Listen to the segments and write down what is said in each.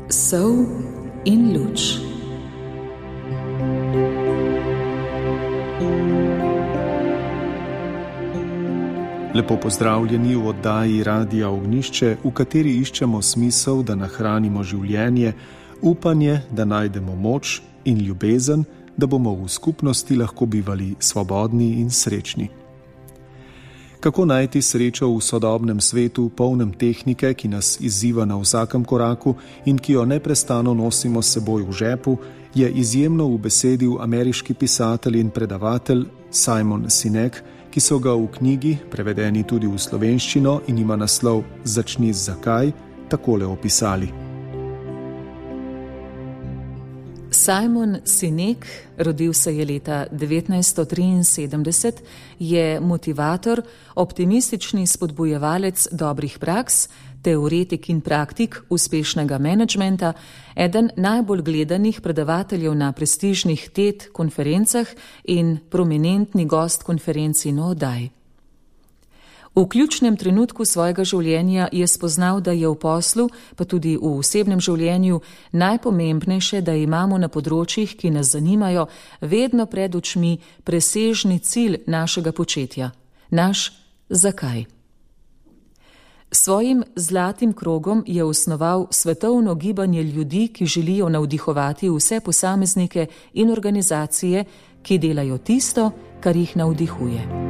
Sol in luč. Lepo pozdravljeni v oddaji Radia Ognjišče, v kateri iščemo smisel, da nahranimo življenje, upanje, da najdemo moč in ljubezen, da bomo v skupnosti lahko bivali svobodni in srečni. Kako najti srečo v sodobnem svetu, polnem tehnike, ki nas izziva na vsakem koraku in ki jo neprestano nosimo s seboj v žepu, je izjemno ubesedil ameriški pisatelj in predavatelj Simon Sinek, ki so ga v knjigi, prevedeni tudi v slovenščino in ima naslov Začni z zakaj, takole opisali. Simon Sinek, rodil se je leta 1973, je motivator, optimistični spodbujevalec dobrih praks, teoretik in praktik uspešnega menedžmenta, eden najbolj gledanih predavateljev na prestižnih TED konferencah in prominentni gost konferenci in oddaj. V ključnem trenutku svojega življenja je spoznal, da je v poslu, pa tudi v osebnem življenju, najpomembnejše, da imamo na področjih, ki nas zanimajo, vedno pred očmi presežni cilj našega početja. Naš zakaj. Svojim zlatim krogom je osnoval svetovno gibanje ljudi, ki želijo navdihovati vse posameznike in organizacije, ki delajo tisto, kar jih navdihuje.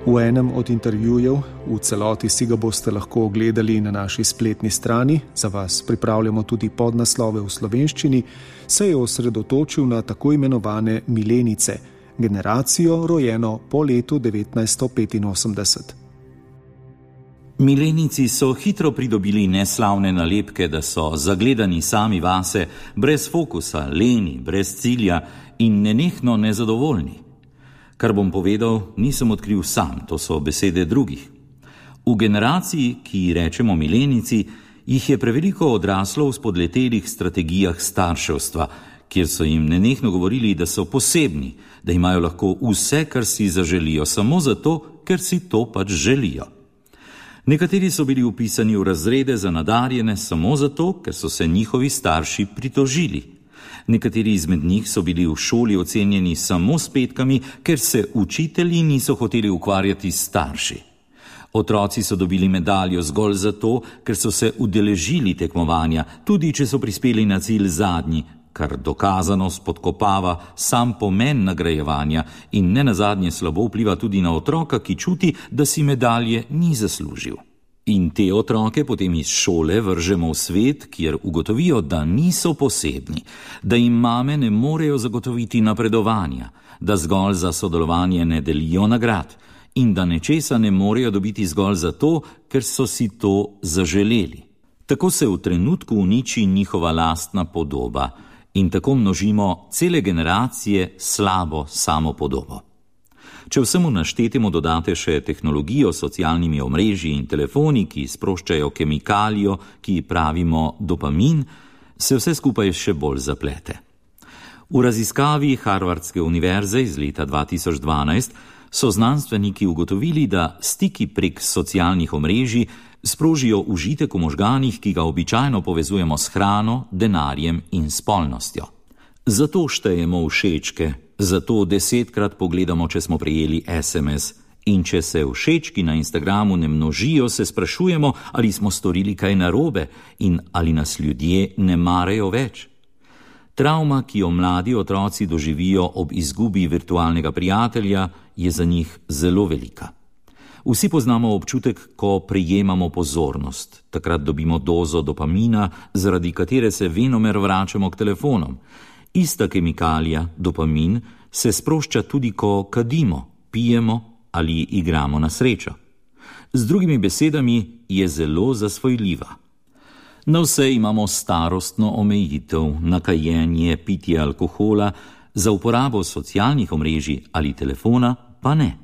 V enem od intervjujev, v celoti si ga boste lahko ogledali na naši spletni strani, za vas pripravljamo tudi podnaslove v slovenščini, se je osredotočil na tako imenovane milenice, generacijo rojeno po letu 1985. Milenici so hitro pridobili neslavne nalepke, da so zagledani sami vase, brez fokusa, leni, brez cilja in nenehno nezadovoljni. Kar bom povedal, nisem odkril sam, to so besede drugih. V generaciji, ki ji rečemo milenici, jih je preveliko odraslo v spodletelih strategijah starševstva, kjer so jim nenehno govorili, da so posebni, da imajo lahko vse, kar si zaželijo, samo zato, ker si to pač želijo. Nekateri so bili vpisani v razrede za nadarjene samo zato, ker so se njihovi starši pritožili. Nekateri izmed njih so bili v šoli ocenjeni samo s petkami, ker se učitelji niso hoteli ukvarjati s starši. Otroci so dobili medaljo zgolj zato, ker so se udeležili tekmovanja, tudi če so prispeli na cilj zadnji, kar dokazano spodkopava sam pomen nagrajevanja in nenazadnje slabo vpliva tudi na otroka, ki čuti, da si medalje ni zaslužil. In te otroke potem iz šole vržemo v svet, kjer ugotovijo, da niso posebni, da jim mame ne morejo zagotoviti napredovanja, da zgolj za sodelovanje ne delijo nagrad in da nečesa ne morejo dobiti zgolj zato, ker so si to zaželeli. Tako se v trenutku uniči njihova lastna podoba in tako množimo cele generacije slabo samopodobo. Če vsemu naštetemu dodate še tehnologijo s socialnimi omrežji in telefoni, ki sproščajo kemikalijo, ki pravimo dopamin, se vse skupaj še bolj zaplete. V raziskavi Harvardske univerze iz leta 2012 so znanstveniki ugotovili, da stiki prek socialnih omrežij sprožijo užitek v možganih, ki ga običajno povezujemo s hrano, denarjem in spolnostjo. Zato štejemo všečke, zato 10-krat pogledamo, če smo prejeli SMS. In če se všečki na Instagramu ne množijo, se sprašujemo, ali smo storili kaj narobe in ali nas ljudje ne marajo več. Travma, ki jo mladi otroci doživijo ob izgubi virtualnega prijatelja, je za njih zelo velika. Vsi poznamo občutek, ko prejemamo pozornost. Takrat dobimo dozo dopamina, zaradi katere se venomer vračamo k telefonom. Ista kemikalija, dopamin, se sprošča tudi, ko kadimo, pijemo ali igramo na srečo. Z drugimi besedami, je zelo zasvojljiva. Na vse imamo starostno omejitev, na kajenje, pitje alkohola, za uporabo socialnih omrežij ali telefona pa ne.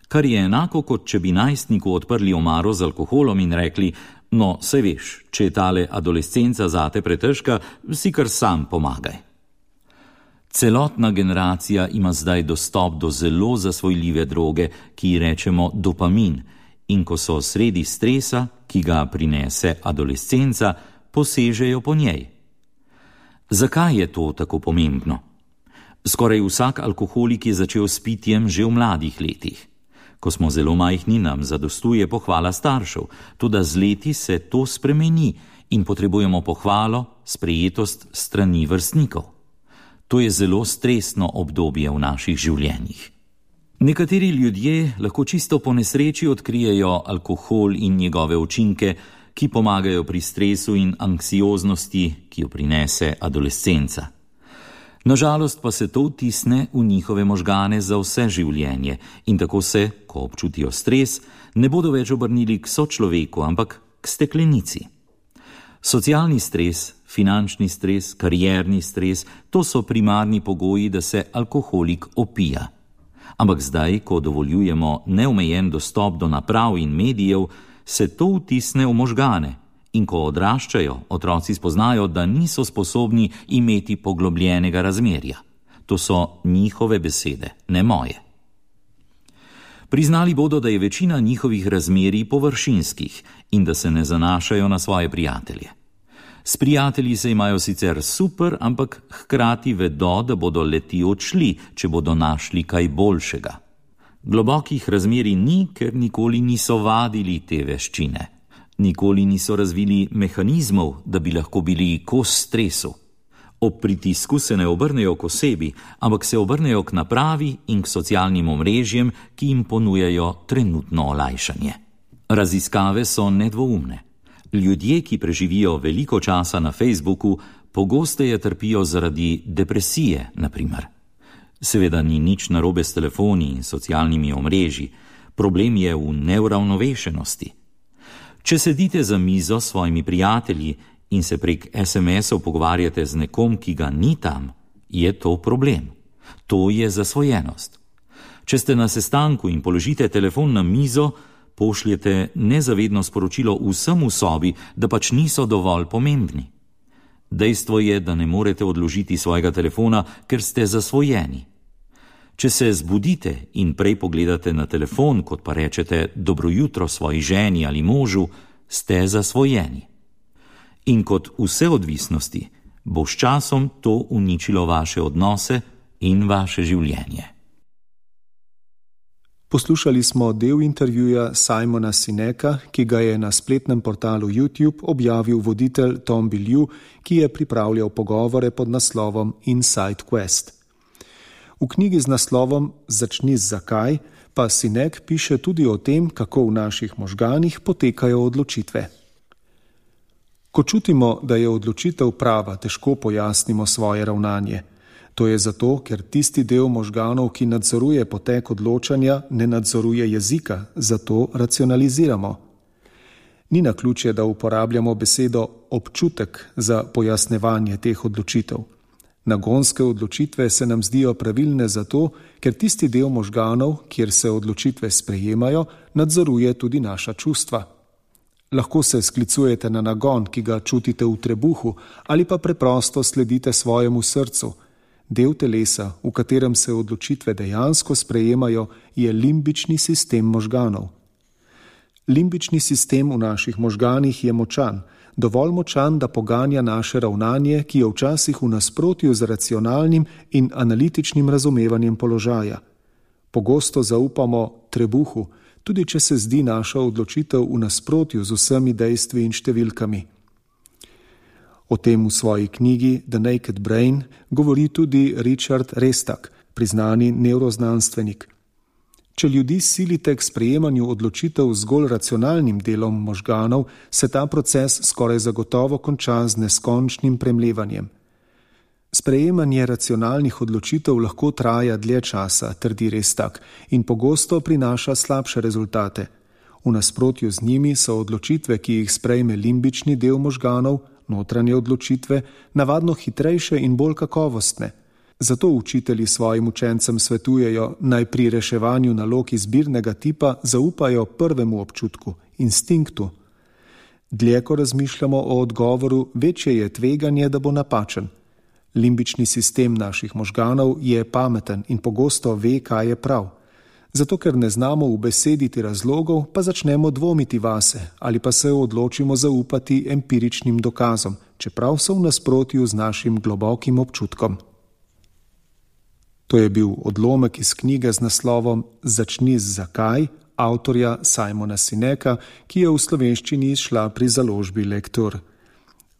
Kar je enako, kot če bi najstniku odprli omaro z alkoholom in rekli, no, saj veš, če je tale adolescenca zate pretežka, si kar sam pomagaj. Celotna generacija ima zdaj dostop do zelo zasvojljive droge, ki ji rečemo dopamin, in ko so sredi stresa, ki ga prinese adolescenca, posežejo po njej. Zakaj je to tako pomembno? Skoraj vsak alkoholik je začel s pitjem že v mladih letih. Ko smo zelo majhni, nam zadostuje pohvala staršev, toda z leti se to spremeni in potrebujemo pohvalo, sprejetost strani vrstnikov. To je zelo stresno obdobje v naših življenjih. Nekateri ljudje lahko čisto po nesreči odkrijejo alkohol in njegove učinke, ki pomagajo pri stresu in anksioznosti, ki jo prinese adolescenca. Nažalost pa se to vtisne v njihove možgane za vse življenje in tako se, ko občutijo stres, ne bodo več obrnili k sočloveku, ampak k steklenici. Socialni stres, finančni stres, karierni stres, to so primarni pogoji, da se alkoholik opija. Ampak zdaj, ko dovoljujemo neomejen dostop do naprav in medijev, se to vtisne v možgane in ko odraščajo, otroci spoznajo, da niso sposobni imeti poglobljenega razmerja. To so njihove besede, ne moje. Priznali bodo, da je večina njihovih razmerij površinskih in da se ne zanašajo na svoje prijatelje. S prijatelji se imajo sicer super, ampak hkrati vedo, da bodo leti odšli, če bodo našli kaj boljšega. Globokih razmerij ni, ker nikoli niso vadili te veščine. Nikoli niso razvili mehanizmov, da bi lahko bili kos stresu. Ob pritisku se ne obrnejo k osebi, ampak se obrnejo k napravi in k socialnim omrežjem, ki jim ponujajo trenutno olajšanje. Raziskave so nedvoumne. Ljudje, ki preživijo veliko časa na Facebooku, pogosteje trpijo zaradi depresije, na primer. Seveda ni nič narobe s telefoni in socialnimi omrežji, problem je v neuravnovešenosti. Če sedite za mizo s svojimi prijatelji in se prek SMS-ov pogovarjate z nekom, ki ga ni tam, je to problem. To je zasvojenost. Če ste na sestanku in položite telefon na mizo, pošljete nezavedno sporočilo vsem v sobi, da pač niso dovolj pomembni. Dejstvo je, da ne morete odložiti svojega telefona, ker ste zasvojeni. Če se zbudite in prej pogledate na telefon, kot pa rečete dobro jutro svoji ženi ali možu, ste zasvojeni. In kot vse odvisnosti, bo s časom to uničilo vaše odnose in vaše življenje. Poslušali smo del intervjuja Simona Sineka, ki ga je na spletnem portalu YouTube objavil voditelj Tom Bilyeu, ki je pripravljal pogovore pod naslovom Inside Quest. V knjigi z naslovom Začni z zakaj pa Sinek piše tudi o tem, kako v naših možganih potekajo odločitve. Ko čutimo, da je odločitev prava, težko pojasnimo svoje ravnanje. To je zato, ker tisti del možganov, ki nadzoruje potek odločanja, ne nadzoruje jezika, zato racionaliziramo. Ni naključje, da uporabljamo besedo občutek za pojasnevanje teh odločitev. Nagonske odločitve se nam zdijo pravilne zato, ker tisti del možganov, kjer se odločitve sprejemajo, nadzoruje tudi naša čustva. Lahko se sklicujete na nagon, ki ga čutite v trebuhu, ali pa preprosto sledite svojemu srcu. Del telesa, v katerem se odločitve dejansko sprejemajo, je limbični sistem možganov. Limbični sistem v naših možganih je močan, dovolj močan, da poganja naše ravnanje, ki je včasih v nasprotju z racionalnim in analitičnim razumevanjem položaja. Pogosto zaupamo trebuhu, tudi če se zdi naša odločitev v nasprotju z vsemi dejstvi in številkami. O tem v svoji knjigi The Naked Brain govori tudi Richard Restak, priznani nevroznanstvenik. Če ljudi silite k sprejemanju odločitev zgolj racionalnim delom možganov, se ta proces skoraj zagotovo konča z neskončnim premlevanjem. Sprejemanje racionalnih odločitev lahko traja dlje časa, trdi Restak, in pogosto prinaša slabše rezultate. V nasprotju z njimi so odločitve, ki jih sprejme limbični del možganov, notranje odločitve, navadno hitrejše in bolj kakovostne. Zato učitelji svojim učencem svetujejo, naj pri reševanju nalog izbirnega tipa zaupajo prvemu občutku, instinktu. Dlje, ko razmišljamo o odgovoru, večje je tveganje, da bo napačen. Limbični sistem naših možganov je pameten in pogosto ve, kaj je prav. Zato, ker ne znamo ubesediti razlogov, pa začnemo dvomiti vase ali pa se odločimo zaupati empiričnim dokazom, čeprav so v nasprotju z našim globokim občutkom. To je bil odlomek iz knjige z naslovom Začni z zakaj, avtorja Simona Sineka, ki je v slovenščini izšla pri založbi Lektor.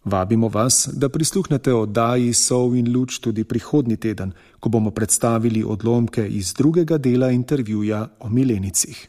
Vabimo vas, da prisluhnete oddaji Sol in luč tudi prihodnji teden, ko bomo predstavili odlomke iz drugega dela intervjuja o milenicih.